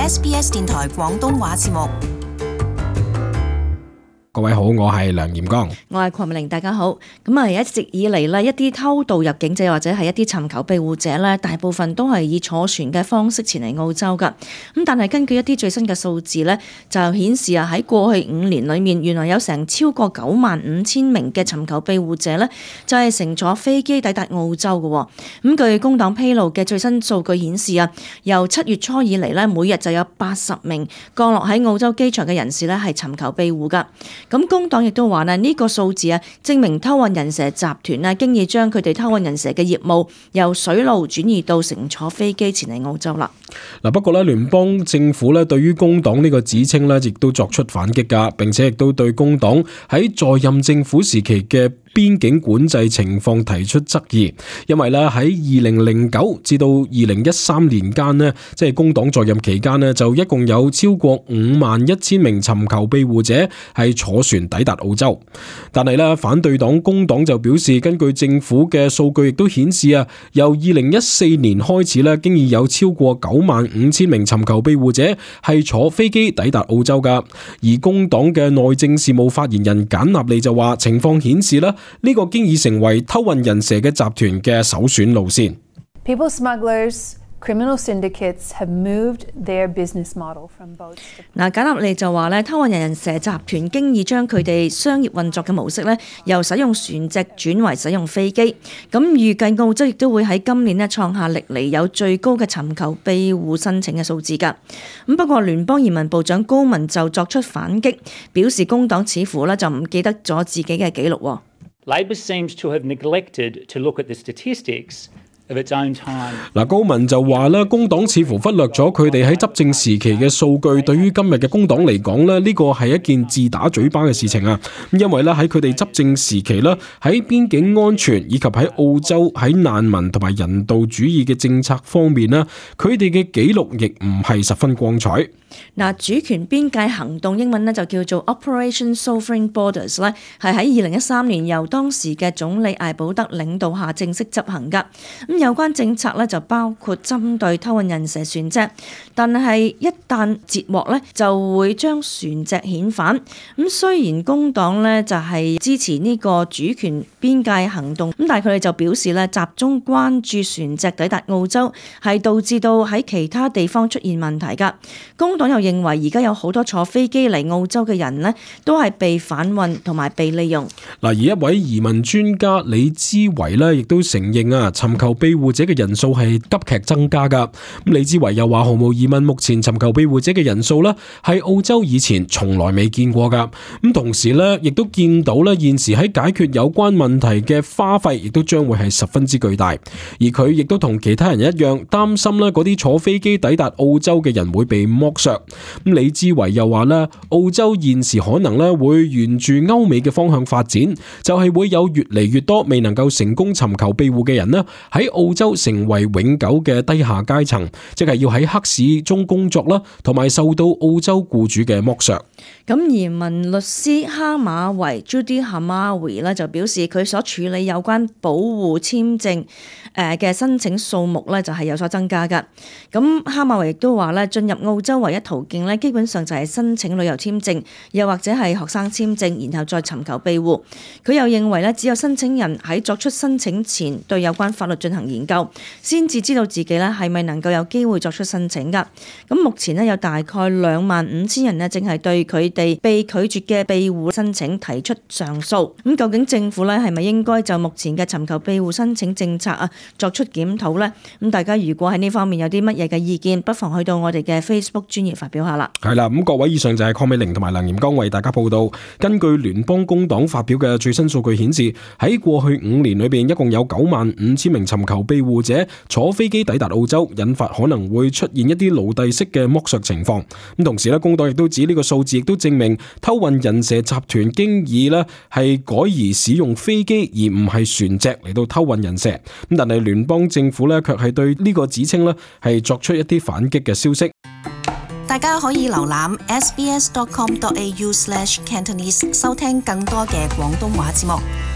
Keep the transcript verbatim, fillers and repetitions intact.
S B S 電台廣東話節目。各位好，我係梁炎光，我係鄺美玲，大家好。咁啊，一直以嚟呢，一啲偷渡入境者或者係一啲尋求庇護者呢，大部分都係以坐船嘅方式前嚟澳洲噶。咁但係根據一啲最新嘅數字呢，就顯示啊，喺過去五年裏面，原來有成超過九萬五千名嘅尋求庇護者呢，就係乘坐飛機抵達澳洲嘅。咁據工黨披露嘅最新數據顯示啊，由七月初以嚟呢，每日就有八十名降落喺澳洲機場嘅人士呢，係尋求庇護噶。咁工黨亦都話呢，呢個數字啊，證明偷運人蛇集團啊，經已將佢哋偷運人蛇嘅業務由水路轉移到乘坐飛機前嚟澳洲啦。嗱，不過咧，聯邦政府咧對於工黨呢個指稱咧，亦都作出反擊噶，並且亦都對工黨喺在任政府時期嘅邊境管制情況提出質疑，因為咧喺二零零九至到二零一三年間呢，即係工黨在任期間呢，就一共有超過五萬一千名尋求庇護者係坐船抵達澳洲。但係咧，反對黨工黨就表示，根據政府嘅數據亦都顯示啊，由二零一四年開始咧，經已有超過九萬五千名尋求庇護者係坐飛機抵達澳洲噶。而工黨嘅內政事務發言人簡納利就話，情況顯示咧，呢個經已成為偷運人蛇嘅集團嘅首選路線。People smugglers, criminal syndicates have moved their business model from boats. 嗱，簡納利就話咧，偷運人蛇集團經已將佢哋商業運作嘅模式咧，由使用船隻轉為使用飛機。咁預計澳洲亦都會喺今年咧創下歷嚟有最高嘅尋求庇護申請嘅數字㗎。咁不過聯邦移民部長高文就作出反擊，表示工黨似乎咧就唔記得咗自己嘅記錄。Labor seems to have neglected to look at the statistics of its own time. 嗱，高文就話咧，工黨似乎忽略咗佢哋喺執政時期嘅數據。對於今日嘅工黨嚟講咧，呢個係一件自打嘴巴嘅事情啊！因為咧喺佢哋執政時期咧，喺邊境安全以及喺澳洲喺難民同埋人道主義嘅政策方面咧，佢哋嘅記錄亦唔係十分光彩。嗱，主權邊界行動英文咧就叫做 Operation Sovereign Borders 咧，係喺二零一三年由當時嘅總理艾保德領導下正式執行噶。咁有關政策咧就包括針對偷運人蛇船隻，但係一旦截獲咧就會將船隻遣返。咁雖然工黨咧就係支持呢個主權邊界行動，咁但係佢哋就表示咧集中關注船隻抵達澳洲係導致到喺其他地方出現問題噶。工黨又認為而家有好多坐飛機嚟澳洲嘅人呢，都係被販運同埋被利用。嗱，而一位移民專家李之維呢，亦都承認啊，尋求庇護者嘅人數係急劇增加噶。咁李之維又話，毫無疑問，目前尋求庇護者嘅人數呢，係澳洲以前從來未見過噶。咁同時呢，亦都見到呢，現時喺解決有關問題嘅花費，亦都將會係十分之巨大。而佢亦都同其他人一樣，擔心呢嗰啲坐飛機抵達澳洲嘅人會被剝削。咁李之維又話咧，澳洲現時可能咧會沿住歐美嘅方向發展，就係會有越嚟越多未能夠成功尋求庇護嘅人咧喺澳洲成為永久嘅低下階層，即係要喺黑市中工作啦，同埋受到澳洲僱主嘅剝削。咁移民律師哈馬維 Judy Hamawi 咧就表示，佢所處理有關保護簽證誒嘅申請數目咧就係有所增加噶。咁哈馬維亦都話咧，進入澳洲唯一途徑咧，基本上就係申請旅遊簽證，又或者係學生簽證，然後再尋求庇護。佢又認為咧，只有申請人喺作出申請前對有關法律進行研究，先至知道自己咧係咪能夠有機會作出申請噶。咁目前咧有大概兩萬五千人咧，正係對佢哋被拒絕嘅庇護申請提出上訴。咁究竟政府咧係咪應該就目前嘅尋求庇護申請政策啊作出檢討呢？咁大家如果喺呢方面有啲乜嘢嘅意見，不妨去到我哋嘅 Facebook 專頁發表下啦。係啦，咁各位，以上就係鄺美玲同埋梁炎光為大家報道。根據聯邦工黨發表嘅最新數據顯示，喺過去五年裏邊，一共有九萬五千名尋求庇護者坐飛機抵達澳洲，引發可能會出現一啲奴隸式嘅剝削情況。咁同時咧，工黨亦都指呢個數字亦都證明偷運人蛇集團經已咧係改而使用飛機而唔係船隻嚟到偷運人蛇。咁但係聯邦政府咧卻係對呢個指稱咧係作出一啲反擊嘅消息。大家可以瀏覽 s b s dot com dot a u slash cantonese 收聽更多嘅廣東話節目。